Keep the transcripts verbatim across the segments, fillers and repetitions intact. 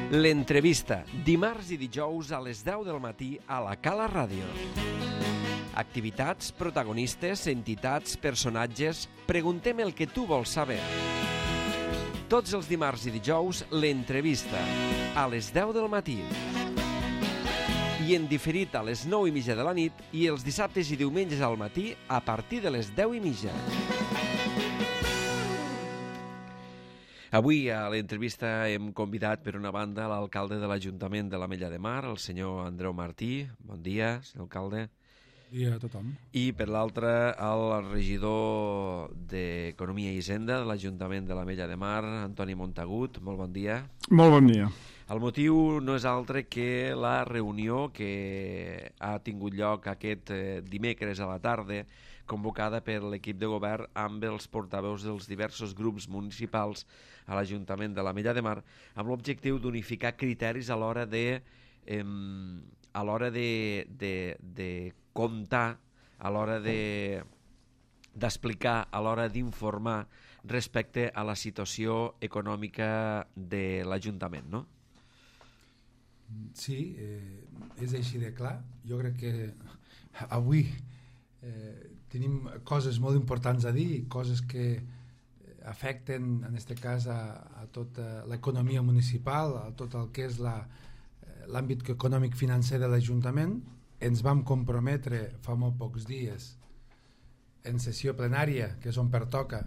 L'entrevista, dimarts i dijous a les deu del matí a la Cala Ràdio. Activitats, protagonistes, entitats, personatges... Preguntem el que tu vols saber. Tots els dimarts i dijous, l'entrevista, a les deu del matí. I en diferit a les nou i mitja de la nit i els dissabtes i diumenges al matí a partir de les deu i mitja. Avui a l'entrevista hem convidat per una banda l'alcalde de l'Ajuntament de l'Ametlla de Mar, el senyor Andreu Martí. Bon dia, senyor alcalde. Bon dia a tothom. I per l'altra el regidor d'Economia i Hisenda de l'Ajuntament de l'Ametlla de Mar, Antoni Montagut. Molt bon dia. Molt bon dia. El motiu no és altre que la reunió que ha tingut lloc aquest dimecres a la tarda, convocada per l'equip de govern amb els portaveus dels diversos grups municipals a l'Ajuntament de l'Ametlla de Mar, amb l'objectiu d'unificar criteris a l'hora de, eh, a l'hora de, de, de comptar, a l'hora de d'explicar, a l'hora d'informar respecte a la situació econòmica de l'Ajuntament, no? Sí, eh, és així de clar. Jo crec que avui eh, tenim coses molt importants a dir, coses que afecten, en aquest cas, a, a tota l'economia municipal, a tot el que és la, l'àmbit econòmic-financer de l'Ajuntament. Ens vam comprometre fa molt pocs dies, en sessió plenària, que és on pertoca,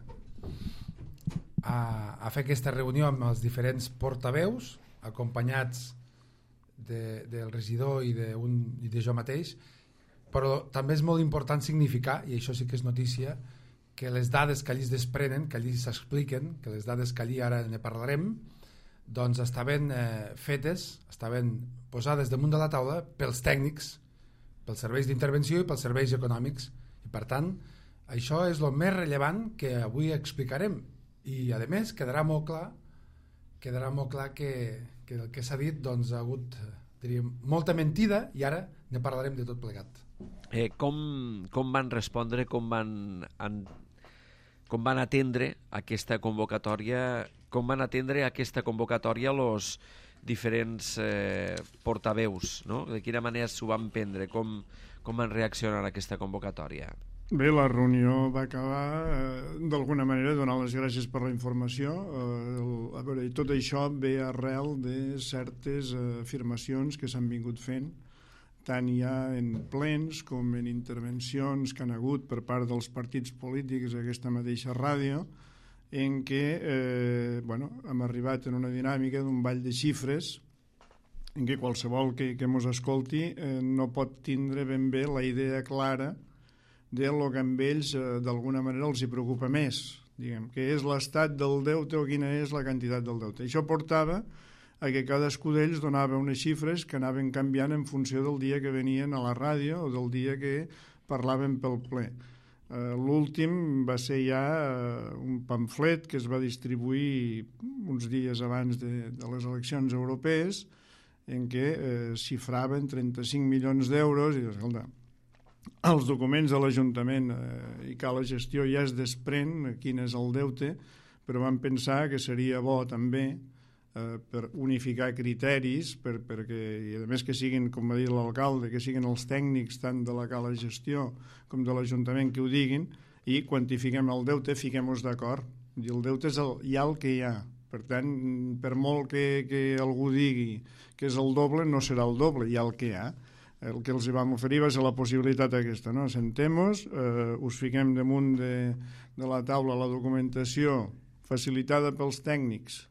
a, a fer aquesta reunió amb els diferents portaveus, acompanyats de, del regidor i de, un, i de jo mateix, però també és molt important significar, i això sí que és notícia, que les dades que allí es desprenen, que allí s'expliquen, que les dades que allí ara ne parlarem, doncs estaven eh, fetes, estaven posades damunt de la taula pels tècnics, pels serveis d'intervenció i pels serveis econòmics. I per tant, això és el més rellevant que avui explicarem. I a més quedarà molt clar, quedarà molt clar que, que el que s'ha dit doncs, ha hagut, diríem, molta mentida, i ara ne parlarem de tot plegat. Eh, com, com van respondre, com van, an, com van atendre aquesta convocatòria, com van atendre aquesta convocatòria els diferents eh, portaveus, no? De quina manera s'ho van prendre, com, com van reaccionar a aquesta convocatòria? Bé, la reunió va acabar eh, d'alguna manera donant les gràcies per la informació. Eh, el, a veure, i tot això ve arrel de certes eh, afirmacions que s'han vingut fent, tant ja en plens com en intervencions que han hagut per part dels partits polítics a aquesta mateixa ràdio, en què eh, bueno, hem arribat en una dinàmica d'un ball de xifres en què qualsevol que, que mos escolti eh, no pot tindre ben bé la idea clara de lo que amb ells eh, d'alguna manera els hi preocupa més, diguem, que és l'estat del deute o quina és la quantitat del deute. Això portava a que cadascú d'ells donava unes xifres que anaven canviant en funció del dia que venien a la ràdio o del dia que parlaven pel ple. Uh, l'últim va ser ja uh, un pamflet que es va distribuir uns dies abans de, de les eleccions europees, en què uh, xifraven trenta-cinc milions d'euros i, escolta, els documents de l'Ajuntament uh, i que la gestió ja es desprèn quin és el deute, però vam pensar que seria bo també Uh, per unificar criteris per, perquè, i a més que siguin, com va dir l'alcalde, que siguin els tècnics tant de la cala gestió com de l'Ajuntament que ho diguin, i quantifiquem el deute, fiquem-nos d'acord, i el deute és el, ja el que hi ha. Per tant, per molt que, que algú digui que és el doble, no serà el doble, hi ha el que hi ha. El que els vam oferir va ser la possibilitat aquesta, no? Sentem-nos, eh, us fiquem damunt de, de la taula la documentació facilitada pels tècnics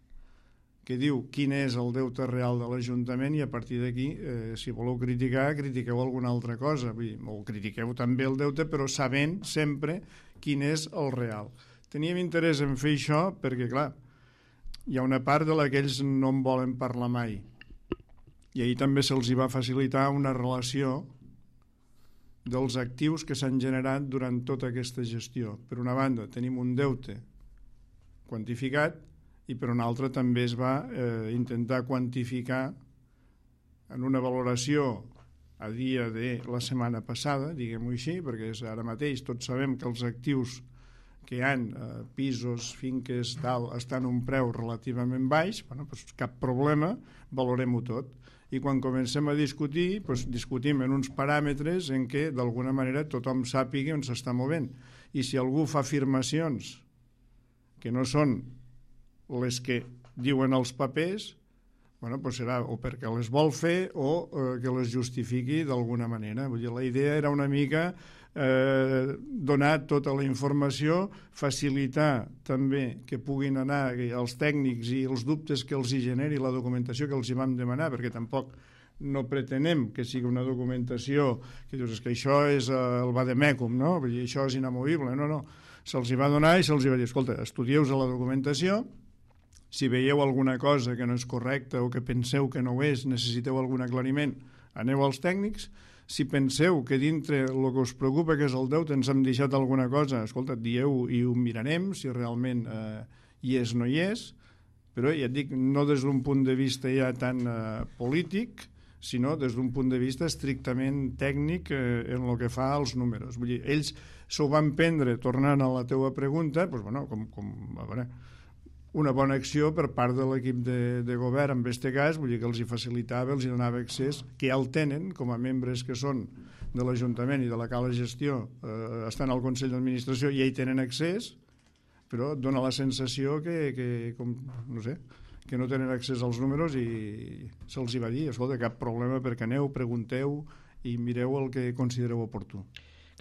que diu quin és el deute real de l'Ajuntament, i a partir d'aquí, eh, si voleu criticar, critiqueu alguna altra cosa. Vull dir, o critiqueu també el deute, però sabent sempre quin és el real. Teníem interès en fer això perquè, clar, hi ha una part de la que ells no en volen parlar mai. I ahir també se'ls va facilitar una relació dels actius que s'han generat durant tota aquesta gestió. Per una banda, tenim un deute quantificat, i per una altra també es va eh, intentar quantificar en una valoració a dia de la setmana passada, diguem-ho així, perquè és ara mateix tots sabem que els actius que hi ha eh, pisos, finques, tal, estan a un preu relativament baix, bueno, doncs cap problema, valorem-ho tot. I quan comencem a discutir, doncs discutim en uns paràmetres en què d'alguna manera tothom sàpiga on s'està movent. I si algú fa afirmacions que no són les que diuen els papers, bueno, doncs serà o perquè les vol fer o eh, que les justifiqui d'alguna manera. Vull dir, la idea era una mica eh, donar tota la informació, facilitar també que puguin anar els tècnics i els dubtes que els hi generi la documentació que els hi vam demanar, perquè tampoc no pretenem que sigui una documentació que dius que això és el vademecum, no? Vull dir, això és inamovible. No, no. Se'ls hi va donar i se'ls hi va dir, escolta, estudieu-vos la documentació, si veieu alguna cosa que no és correcta o que penseu que no ho és, necessiteu algun aclariment, aneu als tècnics. Si penseu que dintre el que us preocupa, que és el deute, ens hem deixat alguna cosa, escolta, dieu i ho mirarem, si realment eh, hi és o no hi és, però ja et dic, no des d'un punt de vista ja tan eh, polític, sinó des d'un punt de vista estrictament tècnic eh, en el que fa als números. Vull dir, ells s'ho van prendre, tornant a la teua pregunta, doncs, bueno, com, com a veure, una bona acció per part de l'equip de, de govern, en aquest cas, vull dir que els hi facilitava, els hi donava accés, que ja el tenen, com a membres que són de l'Ajuntament i de la Cala Gestió, eh, estan al Consell d'Administració i ja hi tenen accés, però dona la sensació que, que com, no sé, que no tenen accés als números i se'ls hi va dir, escolta, cap problema perquè aneu, pregunteu i mireu el que considereu oportú.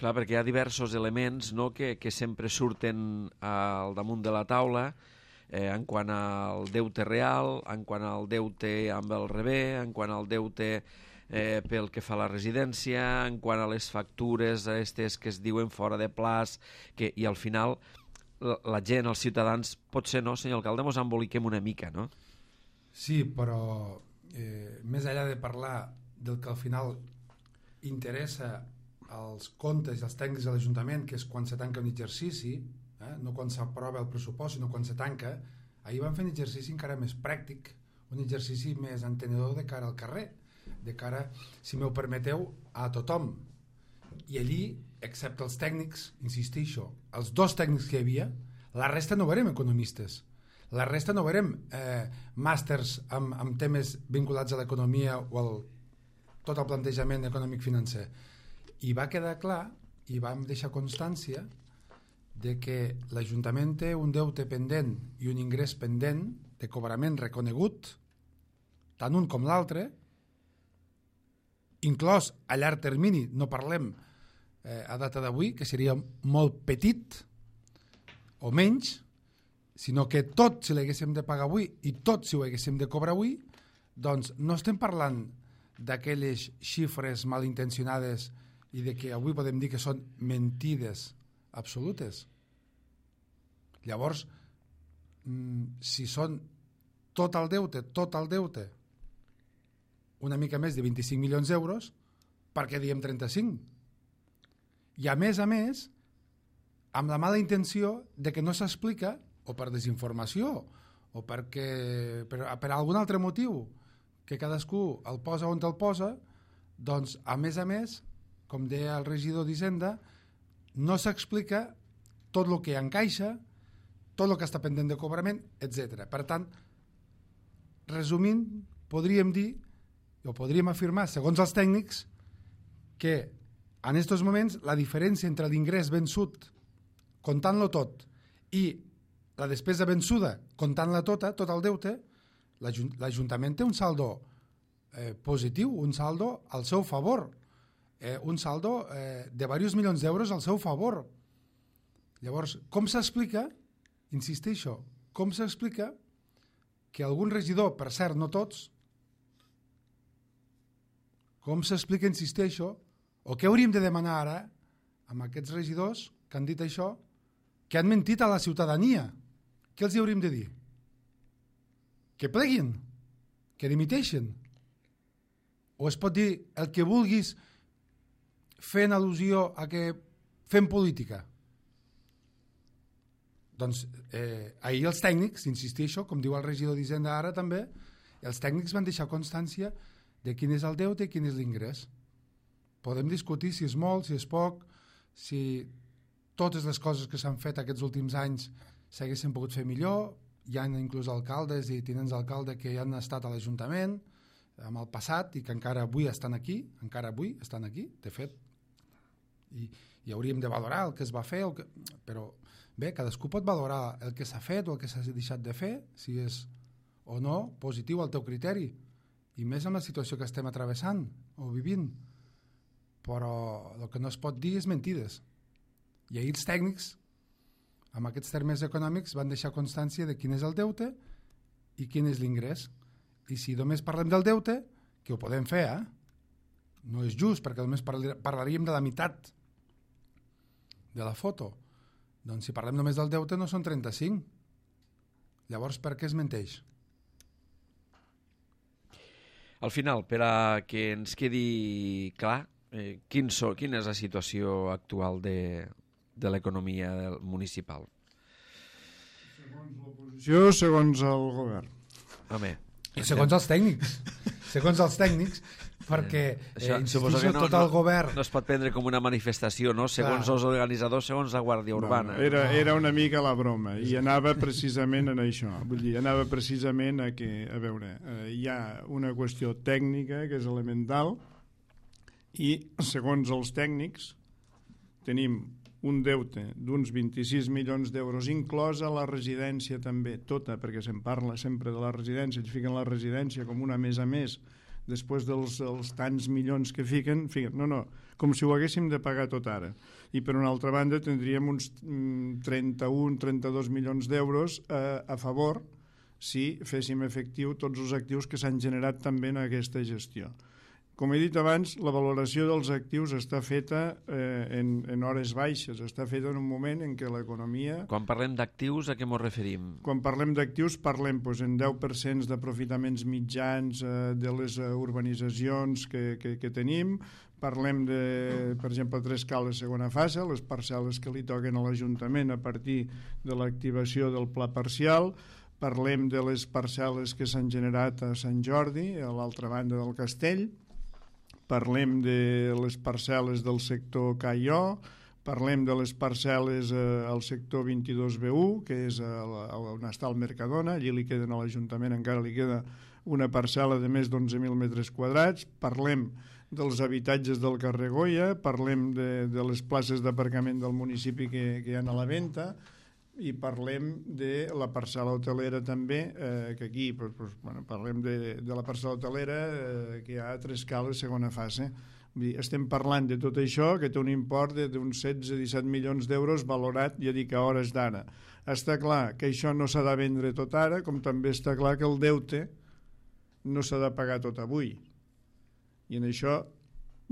Clar, perquè hi ha diversos elements, no?, que, que sempre surten al damunt de la taula, eh, en quant al deute real, en quant al deute amb el rebé, en quant al deute eh, pel que fa a la residència, en quant a les factures aquestes que es diuen fora de plaç, que, i al final la, la gent, els ciutadans, potser no, senyor alcalde, mos emboliquem una mica, no? Sí, però eh, més enllà de parlar del que al final interessa als comptes i als tècnics de l'Ajuntament, que és quan se tanca un exercici, eh? no quan s'aprova el pressupost, sinó quan se tanca, ahir van fer un exercici encara més pràctic, un exercici més entenedor de cara al carrer, de cara, si m'ho permeteu, a tothom. I allí, excepte els tècnics, insistixo, els dos tècnics que hi havia, la resta no verem economistes, la resta no verem eh, màsters amb, amb temes vinculats a l'economia o al tot el plantejament econòmic-financer. I va quedar clar, i vam deixar constància, de que l'Ajuntament té un deute pendent i un ingrés pendent de cobrament reconegut, tant un com l'altre, inclòs a llarg termini, no parlem eh, a data d'avui, que seria molt petit o menys, sinó que tot si l'haguéssim de pagar avui i tot si ho haguéssim de cobrar avui, doncs no estem parlant d'aquelles xifres malintencionades i de que avui podem dir que són mentides absolutes. Llavors, si són tot el deute, tot el deute, una mica més de vint-i-cinc milions d'euros, per què diem trenta-cinc? I a més a més, amb la mala intenció de que no s'explica, o per desinformació, o perquè, per, per algun altre motiu, que cadascú el posa on el posa, doncs, a més a més, com deia el regidor d'Hisenda, no s'explica tot el que encaixa, tot el que està pendent de cobrament, etcètera. Per tant, resumint, podríem dir, o podríem afirmar, segons els tècnics, que en aquests moments la diferència entre l'ingrés vençut, comptant-lo tot, i la despesa vençuda, comptant-la tota, tot el deute, l'Ajuntament té un saldo eh, positiu, un saldo al seu favor, eh, un saldo eh, de diversos milions d'euros al seu favor. Llavors, com s'explica, insisteixo, com s'explica que algun regidor, per cert, no tots, com s'explica, insisteixo, o què hauríem de demanar ara amb aquests regidors que han dit això, que han mentit a la ciutadania? Què els hi hauríem de dir? Que pleguin, que dimiteixen. O es pot dir el que vulguis fent al·lusió a que fem política. Doncs eh, ahir els tècnics, insisteixo, com diu el regidor d'Hisenda ara també, els tècnics van deixar constància de quin és el deute i quin és l'ingrés. Podem discutir si és molt, si és poc, si totes les coses que s'han fet aquests últims anys s'haguessin pogut fer millor. Hi ha inclús alcaldes i tinents d'alcalde que ja han estat a l'Ajuntament amb el passat i que encara avui estan aquí, encara avui estan aquí, de fet, i, i hauríem de valorar el que es va fer, el que... però bé, cadascú pot valorar el que s'ha fet o el que s'ha deixat de fer, si és o no positiu al teu criteri, i més en la situació que estem atravessant o vivint, però el que no es pot dir és mentides. I ahir els tècnics, amb aquests termes econòmics, van deixar constància de quin és el deute i quin és l'ingrés. I si només parlem del deute, que ho podem fer, eh? No és just, perquè només parlaríem de la meitat de la foto. Doncs si parlem només del deute no són trenta-cinc. Llavors, per què es menteix? Al final, per a que ens quedi clar, eh, quin so, quina és la situació actual de, de l'economia municipal? Segons l'oposició, segons el govern. Home, I segons els tècnics. Segons els tècnics, perquè això, eh, insistixo, no, tot el govern... No es pot prendre com una manifestació, no? Segons Clar. els organitzadors, segons la Guàrdia Urbana. No, era, era una mica la broma, i anava precisament en això. Vull dir, anava precisament a que, a veure, eh, hi ha una qüestió tècnica que és elemental, i segons els tècnics tenim un deute d'uns vint-i-sis milions d'euros, inclosa la residència també, tota, perquè se'n parla sempre de la residència, ens fiquen la residència com una més a més, després dels els tants milions que fiquen, fiquen, no, no, com si ho haguéssim de pagar tot ara. I per una altra banda tindríem uns trenta-un a trenta-dos milions d'euros a, a favor si féssim efectiu tots els actius que s'han generat també en aquesta gestió. Com he dit abans, la valoració dels actius està feta eh, en, en hores baixes, està feta en un moment en què l'economia... Quan parlem d'actius, a què ens referim? Quan parlem d'actius parlem doncs, en deu per cent d'aprofitaments mitjans eh, de les urbanitzacions que, que, que tenim, parlem de, per exemple, tres cales segona fase, les parcel·les que li toquen a l'Ajuntament a partir de l'activació del pla parcial, parlem de les parcel·les que s'han generat a Sant Jordi, a l'altra banda del castell, parlem de les parcel·les del sector K I O, parlem de les parcel·les eh, al sector vint-i-dos B u, que és el, on està el Mercadona, allí li queden a l'Ajuntament, encara li queda una parcel·la de més d'onze mil metres quadrats, parlem dels habitatges del carrer Goya, parlem de, de les places d'aparcament del municipi que, que hi ha a la venda, i parlem de la parcel·la hotelera també, eh, que aquí pues, pues, bueno, parlem de, de la parcel·la hotelera eh, que hi ha a tres cales segona fase. Vull dir, estem parlant de tot això que té un import d'uns setze a disset milions d'euros valorat, ja dic, a hores d'ara. Està clar que això no s'ha de vendre tot ara, com també està clar que el deute no s'ha de pagar tot avui. I en això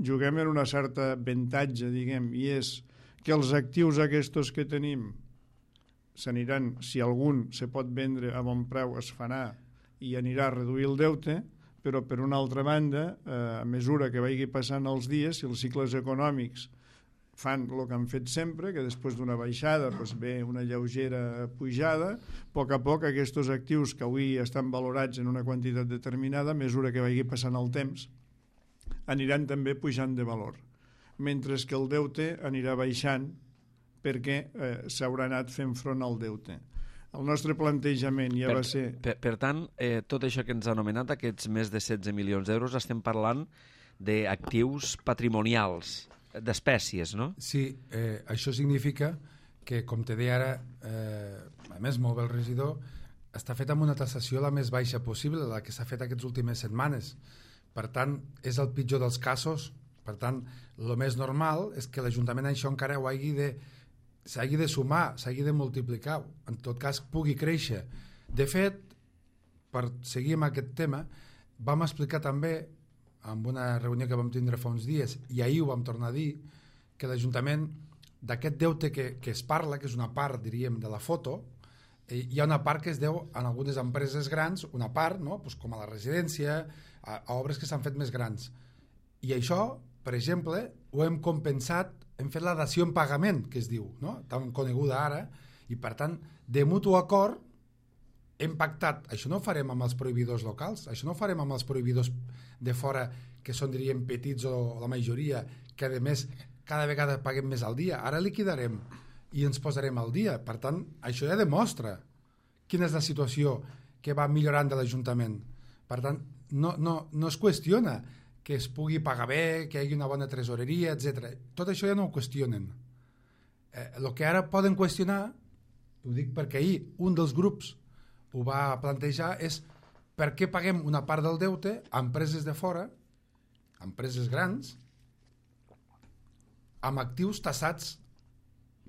juguem en una certa avantatge, diguem, i és que els actius aquests que tenim s'aniran, si algun se pot vendre a bon preu, es farà i anirà a reduir el deute, però per una altra banda, eh, a mesura que vagi passant els dies, si els cicles econòmics fan el que han fet sempre, que després d'una baixada doncs ve una lleugera pujada, a poc a poc aquests actius que avui estan valorats en una quantitat determinada, a mesura que vagi passant el temps, aniran també pujant de valor, mentre que el deute anirà baixant perquè eh, s'haurà anat fent front al deute. El nostre plantejament ja per, va ser... Per, per tant, eh, tot això que ens ha anomenat, aquests més de setze milions d'euros, estem parlant d'actius patrimonials, d'espècies, no? Sí, eh, això significa que, com te deia ara, eh, a més, molt bé el regidor, està fet amb una tassació la més baixa possible, la que s'ha fet aquestes últimes setmanes. Per tant, és el pitjor dels casos. Per tant, el més normal és que l'Ajuntament això encara ho hagi de s'hagi de sumar, s'hagi de multiplicar, en tot cas pugui créixer. De fet, per seguir amb aquest tema, vam explicar també, en una reunió que vam tindre fa uns dies, i ahir ho vam tornar a dir, que l'Ajuntament, d'aquest deute que, que es parla, que és una part, diríem, de la foto, eh, hi ha una part que es deu en algunes empreses grans, una part, no? Pues com a la residència, a, a obres que s'han fet més grans. I això, per exemple, ho hem compensat, hem fet la dació en pagament, que es diu, no? Tan coneguda ara, i per tant, de mutu acord, hem pactat, això no ho farem amb els prohibidors locals, això no ho farem amb els prohibidors de fora, que són, diríem, petits o la majoria, que a més cada vegada paguem més al dia. Ara liquidarem i ens posarem al dia. Per tant, això ja demostra quina és la situació que va millorant de l'Ajuntament. Per tant, no, no, no es qüestiona que es pugui pagar bé, que hi hagi una bona tresoreria, etcètera. Tot això ja no ho qüestionen. Eh, el que ara poden qüestionar, ho dic perquè ahir un dels grups ho va plantejar, és per què paguem una part del deute a empreses de fora, a empreses grans, amb actius tassats.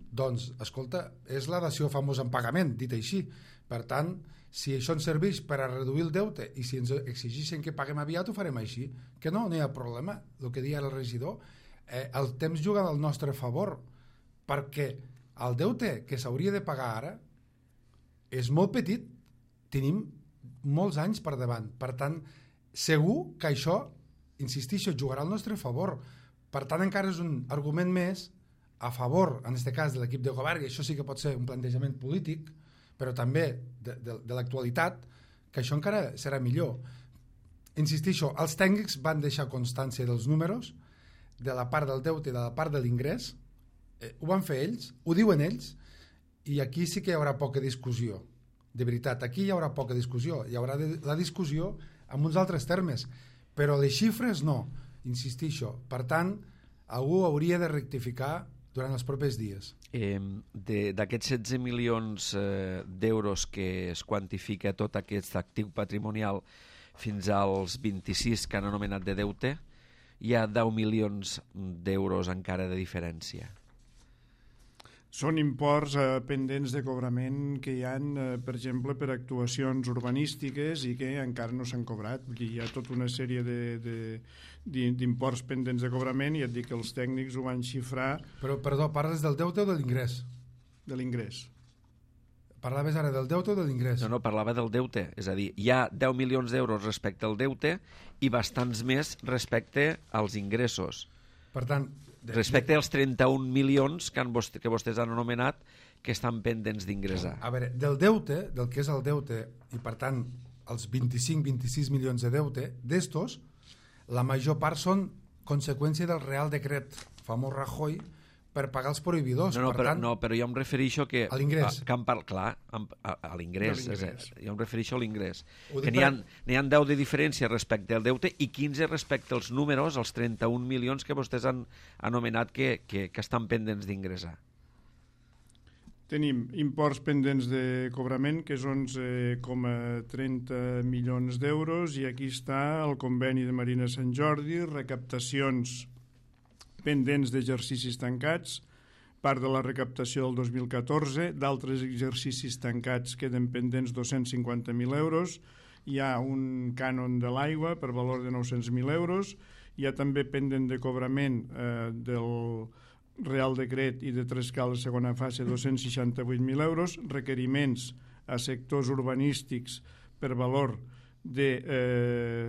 Doncs, escolta, és la dació famosa en pagament, dit així. Per tant, si això ens serveix per a reduir el deute i si ens exigeixen que paguem aviat, ho farem així. Que no, no hi ha problema. El que deia el regidor, eh, el temps juga al nostre favor, perquè el deute que s'hauria de pagar ara és molt petit. Tenim molts anys per davant. Per tant, segur que això, insistixo, jugarà al nostre favor. Per tant, encara és un argument més a favor, en aquest cas, de l'equip de govern, i això sí que pot ser un plantejament polític, però també de, de, de l'actualitat, que això encara serà millor. Insistixo, els tècnics van deixar constància dels números, de la part del deute i de la part de l'ingrés, eh, ho van fer ells, ho diuen ells, i aquí sí que hi haurà poca discussió. De veritat, aquí hi haurà poca discussió, hi haurà de, la discussió en uns altres termes, però les xifres no, insistixo. Per tant, algú hauria de rectificar durant els propers dies. Eh, d'aquests setze milions eh, d'euros que es quantifica tot aquest actiu patrimonial fins als vint-i-sis que han anomenat de deute, hi ha deu milions d'euros encara de diferència. Són imports eh, pendents de cobrament que hi ha, eh, per exemple, per actuacions urbanístiques i que encara no s'han cobrat. Vull dir, hi ha tota una sèrie d'imports pendents de cobrament i et dic que els tècnics ho van xifrar... Però, perdó, parles del deute o de l'ingrés? De l'ingrés. Parlaves ara del deute o de l'ingrés? No, no, parlava del deute. És a dir, hi ha deu milions d'euros respecte al deute i bastants més respecte als ingressos. Per tant... De, respecte als trenta-un milions que, han, que vostès han anomenat que estan pendents d'ingressar. A veure, del deute, del que és el deute, i per tant els vint-i-cinc vint-i-sis milions de deute, d'estos, la major part són conseqüència del Real Decret famós Rajoy per pagar els prohibidors. No, no, per però, tant, no, però jo em refereixo que... A l'ingrés. Que em par... Clar, a, a, a l'ingrés. Jo em refereixo a l'ingrés. Que n'hi ha, n'hi ha deu de diferència respecte al deute i quinze respecte als números, els trenta-un milions que vostès han anomenat que, que, que estan pendents d'ingressar. Tenim imports pendents de cobrament, que és onze coma trenta milions d'euros, i aquí està el conveni de Marina Sant Jordi, recaptacions pendents d'exercicis tancats, part de la recaptació del dos mil catorze, d'altres exercicis tancats queden pendents dos-cents cinquanta mil euros, hi ha un cànon de l'aigua per valor de nou-cents mil euros, hi ha també pendent de cobrament eh, del Real Decret i de Trescal segona fase dos-cents seixanta-vuit mil euros, requeriments a sectors urbanístics per valor de eh,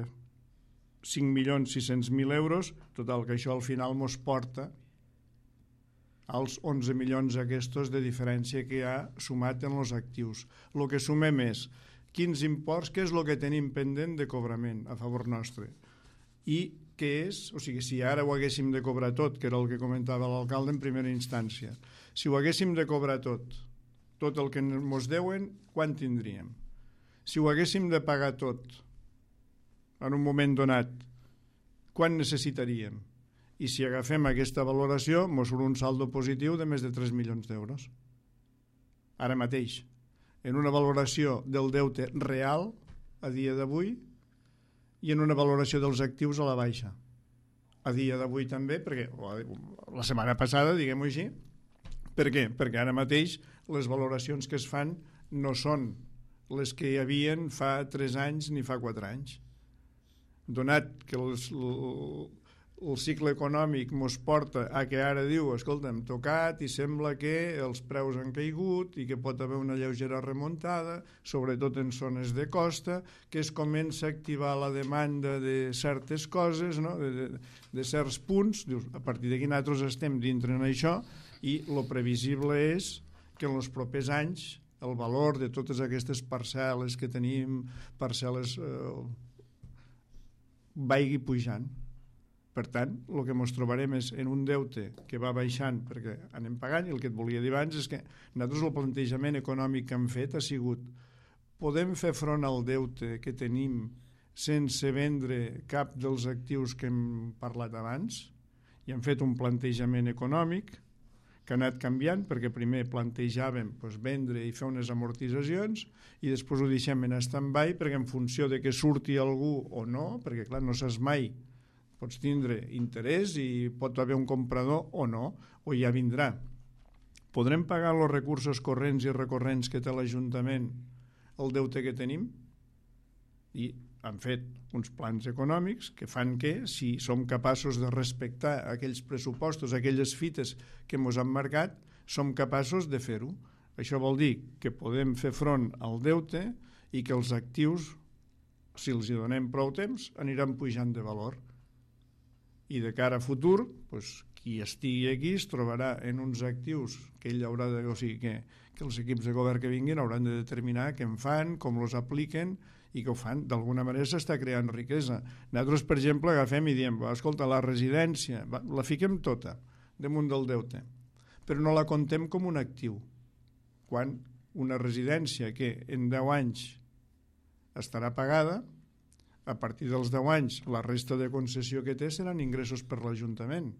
cinc milions sis-cents mil euros, total que això al final mos porta als onze milions aquests de diferència que hi ha sumat en els actius. El que sumem és quins imports, què és el que tenim pendent de cobrament a favor nostre i què és, o sigui, si ara ho haguéssim de cobrar tot, que era el que comentava l'alcalde en primera instància, si ho haguéssim de cobrar tot, tot el que ens deuen, quan tindríem? Si ho haguéssim de pagar tot en un moment donat, quan necessitaríem? I si agafem aquesta valoració, ens surt un saldo positiu de més de tres milions d'euros. Ara mateix, en una valoració del deute real, a dia d'avui, i en una valoració dels actius a la baixa. A dia d'avui també, perquè la setmana passada, diguem-ho així, per què? Perquè ara mateix les valoracions que es fan no són les que hi havien fa tres anys ni fa quatre anys. Donat que els, el, el cicle econòmic ens porta a que ara diu, escolta, hem tocat i sembla que els preus han caigut i que pot haver una lleugera remuntada, sobretot en zones de costa, que es comença a activar la demanda de certes coses, no? de, de, de certs punts. Dius, a partir d'aquí nosaltres estem dintre en això i el previsible és que en els propers anys el valor de totes aquestes parcel·les que tenim, parcel·les... Eh, vagi pujant. Per tant, el que ens trobarem és en un deute que va baixant perquè anem pagant, i el que et volia dir abans és que nosaltres el plantejament econòmic que hem fet ha sigut: podem fer front al deute que tenim sense vendre cap dels actius que hem parlat abans? I hem fet un plantejament econòmic que ha anat canviant, perquè primer plantejàvem doncs, vendre i fer unes amortitzacions, i després ho deixem en stand-by perquè en funció de que surti algú o no, perquè clar, no saps mai, pots tindre interès i pot haver un comprador o no, o ja vindrà. Podrem pagar els recursos corrents i recorrents que té l'Ajuntament el deute que tenim? I han fet uns plans econòmics que fan que, si som capaços de respectar aquells pressupostos, aquelles fites que ens han marcat, som capaços de fer-ho. Això vol dir que podem fer front al deute i que els actius, si els hi donem prou temps, aniran pujant de valor. I de cara a futur, doncs, qui estigui aquí es trobarà en uns actius que ell haurà de, o sigui, que, que els equips de govern que vinguin hauran de determinar què en fan, com els apliquen, i que ho fan, d'alguna manera s'està creant riquesa. Nosaltres, per exemple, agafem i diem, escolta, la residència, va, la fiquem tota damunt del deute, però no la contem com un actiu. Quan una residència que en deu anys estarà pagada, a partir dels deu anys la resta de concessió que té seran ingressos per l'Ajuntament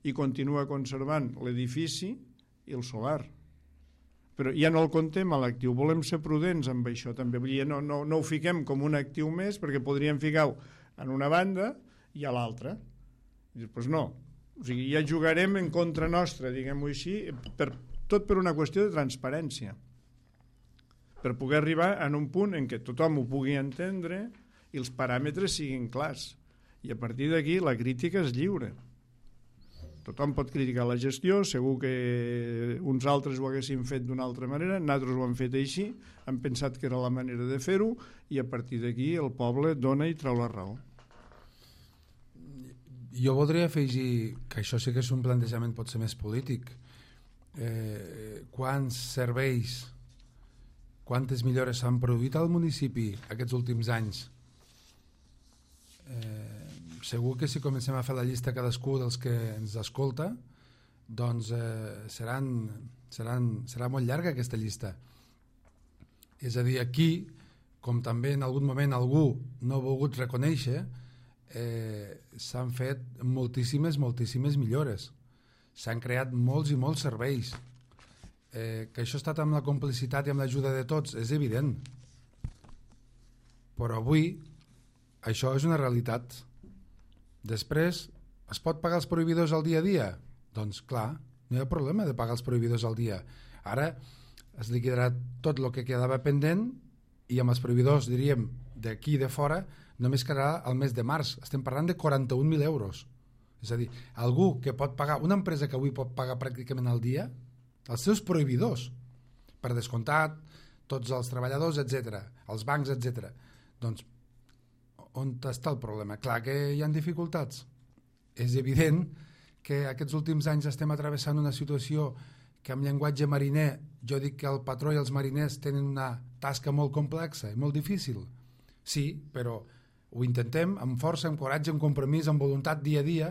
i continua conservant l'edifici i el solar. Però ja no el contem a l'actiu, volem ser prudents amb això també, vull dir, no, no, no ho fiquem com un actiu més perquè podríem ficar-ho en una banda i a l'altra. Doncs no, o sigui, ja jugarem en contra nostra, diguem-ho així, per, tot per una qüestió de transparència, per poder arribar a un punt en què tothom ho pugui entendre i els paràmetres siguin clars, i a partir d'aquí la crítica és lliure. Tothom pot criticar la gestió, segur que uns altres ho haguessin fet d'una altra manera, nosaltres ho hem fet així, hem pensat que era la manera de fer-ho, i a partir d'aquí el poble dona i trau la raó. Jo voldria afegir que això sí que és un plantejament potser més polític. Eh, quants serveis, quantes millores s'han produït al municipi aquests últims anys? Eh, segur que si comencem a fer la llista cadascú dels que ens escolta, doncs eh, seran, seran, serà molt llarga aquesta llista. És a dir, aquí, com també en algun moment algú no ha volgut reconèixer, eh, s'han fet moltíssimes, moltíssimes millores. S'han creat molts i molts serveis. Eh, que això ha estat amb la complicitat i amb l'ajuda de tots és evident. Però avui això és una realitat. Després, es pot pagar els proveïdors al dia a dia? Doncs clar, no hi ha problema de pagar els proveïdors al dia. Ara es liquidarà tot el que quedava pendent i amb els proveïdors, diríem, d'aquí i de fora, només quedarà el mes de març. Estem parlant de quaranta-un mil euros. És a dir, algú que pot pagar, una empresa que avui pot pagar pràcticament al dia, els seus proveïdors, per descomptat, tots els treballadors, etcètera, els bancs, etcètera. Doncs on està el problema? Clar que hi ha dificultats. És evident que aquests últims anys estem atravessant una situació que amb llenguatge mariner jo dic que el patró i els mariners tenen una tasca molt complexa i molt difícil. Sí, però ho intentem amb força, amb coratge, amb compromís, amb voluntat dia a dia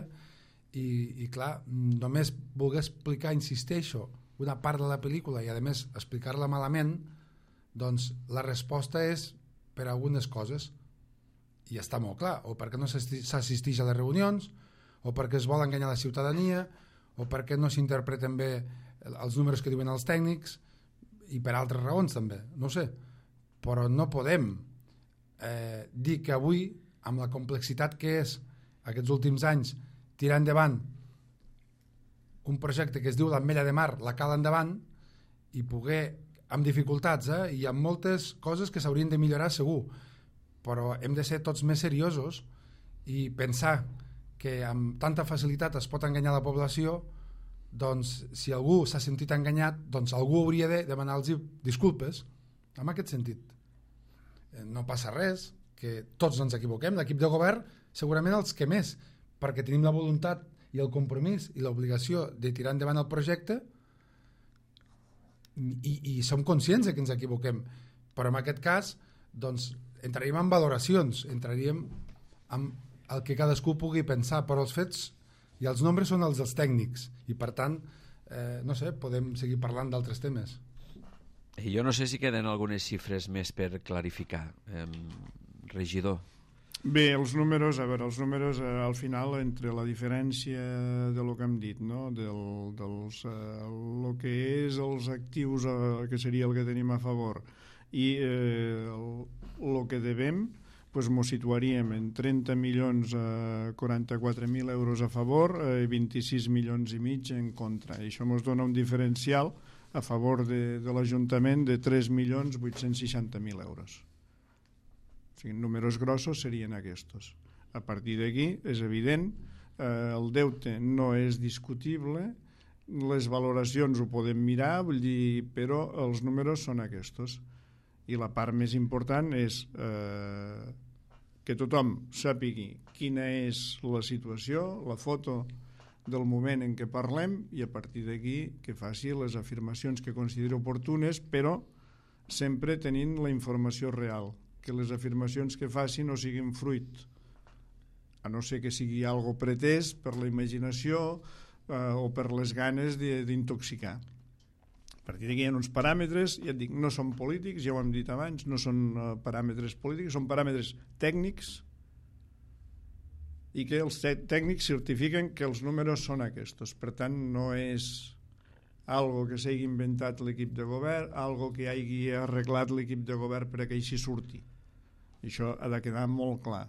i, i clar, només voler explicar, insisteixo, una part de la pel·lícula i a més explicar-la malament, doncs la resposta és per algunes coses. I està molt clar, o perquè no s'assisteix a les reunions, o perquè es vol enganyar la ciutadania, o perquè no s'interpreten bé els números que diuen els tècnics, i per altres raons també, no sé. Però no podem eh, dir que avui, amb la complexitat que és aquests últims anys, tirar endavant un projecte que es diu l'Ametlla de Mar, la cala endavant, i poder, amb dificultats, eh, i amb moltes coses que s'haurien de millorar segur, però hem de ser tots més seriosos i pensar que amb tanta facilitat es pot enganyar la població, doncs si algú s'ha sentit enganyat, doncs algú hauria de demanar-los disculpes en aquest sentit. No passa res, que tots ens equivoquem, l'equip de govern segurament els que més, perquè tenim la voluntat i el compromís i l'obligació de tirar endavant el projecte i, i som conscients de que ens equivoquem, però en aquest cas doncs entraríem en valoracions, entraríem en el que cadascú pugui pensar, però els fets i els nombres són els dels tècnics i per tant, eh, no sé, podem seguir parlant d'altres temes. Jo no sé si queden algunes xifres més per clarificar. Eh, regidor. Bé, els números, a veure, els números eh, al final entre la diferència de lo que hem dit, no? Del, dels, eh, lo que és els actius, eh, que seria el que tenim a favor, i eh, el, lo que devem, pues mos situaríem en trenta milions eh, quaranta-quatre mil euros a favor i eh, vint-i-sis milions i mig en contra. I això mos dona un diferencial a favor de, de l'Ajuntament de tres milions vuit-cents seixanta mil euros. O sigui, números grossos serien aquests. A partir d'aquí, és evident, eh, el deute no és discutible, les valoracions ho podem mirar, vull dir, però els números són aquests. I la part més important és eh, que tothom sàpigui quina és la situació, la foto del moment en què parlem, i a partir d'aquí que faci les afirmacions que consideri oportunes, però sempre tenint la informació real, que les afirmacions que faci no siguin fruit, a no ser que sigui algo pretès per la imaginació eh, o per les ganes d'intoxicar. A partir d'aquí hi ha uns paràmetres, ja et dic, no són polítics, ja ho hem dit abans, no són uh, paràmetres polítics, són paràmetres tècnics, i que els tècnics certifiquen que els números són aquests. Per tant, no és algo que s'hagi inventat l'equip de govern, algo que hagi arreglat l'equip de govern per a que així surti. I això ha de quedar molt clar.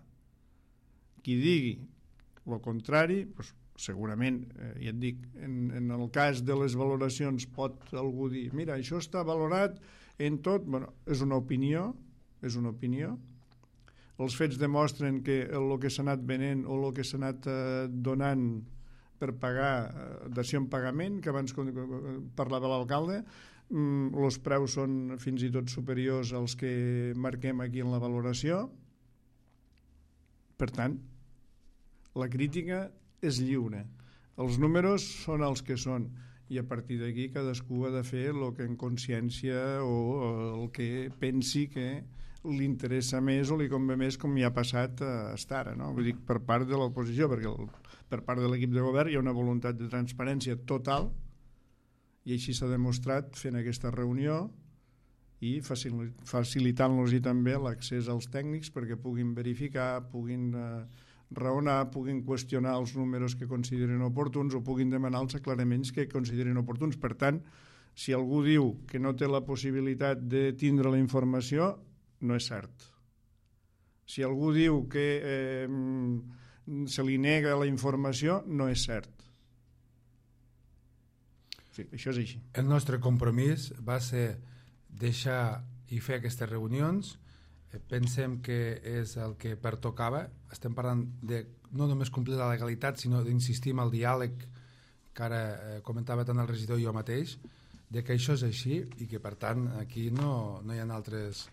Qui digui el contrari, doncs, segurament, eh, ja et dic, en, en el cas de les valoracions pot algú dir, mira, això està valorat en tot, bueno, és una opinió, és una opinió. Els fets demostren que el que s'ha anat venent o el que s'ha anat eh, donant per pagar eh, dació en pagament, que abans parlava l'alcalde, mm, els preus són fins i tot superiors als que marquem aquí en la valoració. Per tant, la crítica és lliure. Els números són els que són i a partir d'aquí cadascú ha de fer el que en consciència o el que pensi que li interessa més o li convé més, com ja ha passat a estar ara, no? Vull dir, per part de l'oposició, perquè el, per part de l'equip de govern hi ha una voluntat de transparència total i així s'ha demostrat fent aquesta reunió i facilitant-los també l'accés als tècnics perquè puguin verificar, puguin eh, raonar, puguin qüestionar els números que consideren oportuns o puguin demanar els aclaraments que consideren oportuns. Per tant, si algú diu que no té la possibilitat de tindre la informació, no és cert. Si algú diu que eh, se li nega la informació, no és cert. Sí, això és així. El nostre compromís va ser deixar i fer aquestes reunions. Pensem que és el que pertocava. Estem parlant de no només complir la legalitat, sinó d'insistir en el diàleg que ara eh, comentava tant el regidor i jo mateix, de que això és així i que per tant aquí no, no hi ha altres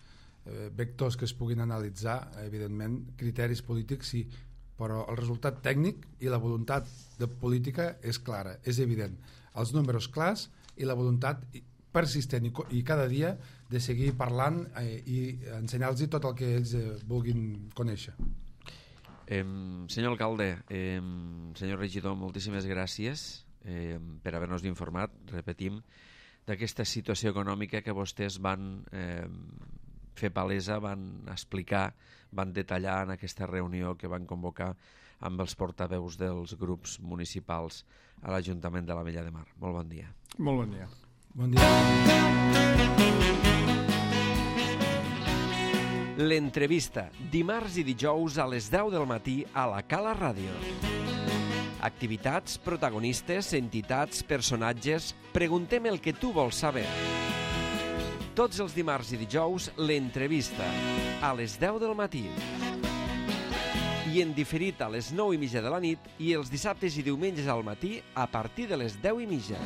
eh, vectors que es puguin analitzar, evidentment criteris polítics sí, però el resultat tècnic i la voluntat de política és clara, és evident, els números clars i la voluntat persistent i, i cada dia de seguir parlant eh, i ensenyar-los tot el que ells eh, vulguin conèixer. Eh, senyor alcalde, eh, senyor regidor, moltíssimes gràcies eh, per haver-nos informat, repetim, d'aquesta situació econòmica que vostès van eh, fer palesa, van explicar, van detallar en aquesta reunió que van convocar amb els portaveus dels grups municipals a l'Ajuntament de l'Ametlla de Mar. Molt bon dia. Molt bon dia. Bon dia. L'entrevista, dimarts i dijous a les deu del matí a la Cala Ràdio. Activitats, protagonistes, entitats, personatges... Preguntem el que tu vols saber. Tots els dimarts i dijous, l'entrevista, a les deu del matí. I en diferit a les nou i mitja de la nit i els dissabtes i diumenges al matí a partir de les deu i mitja.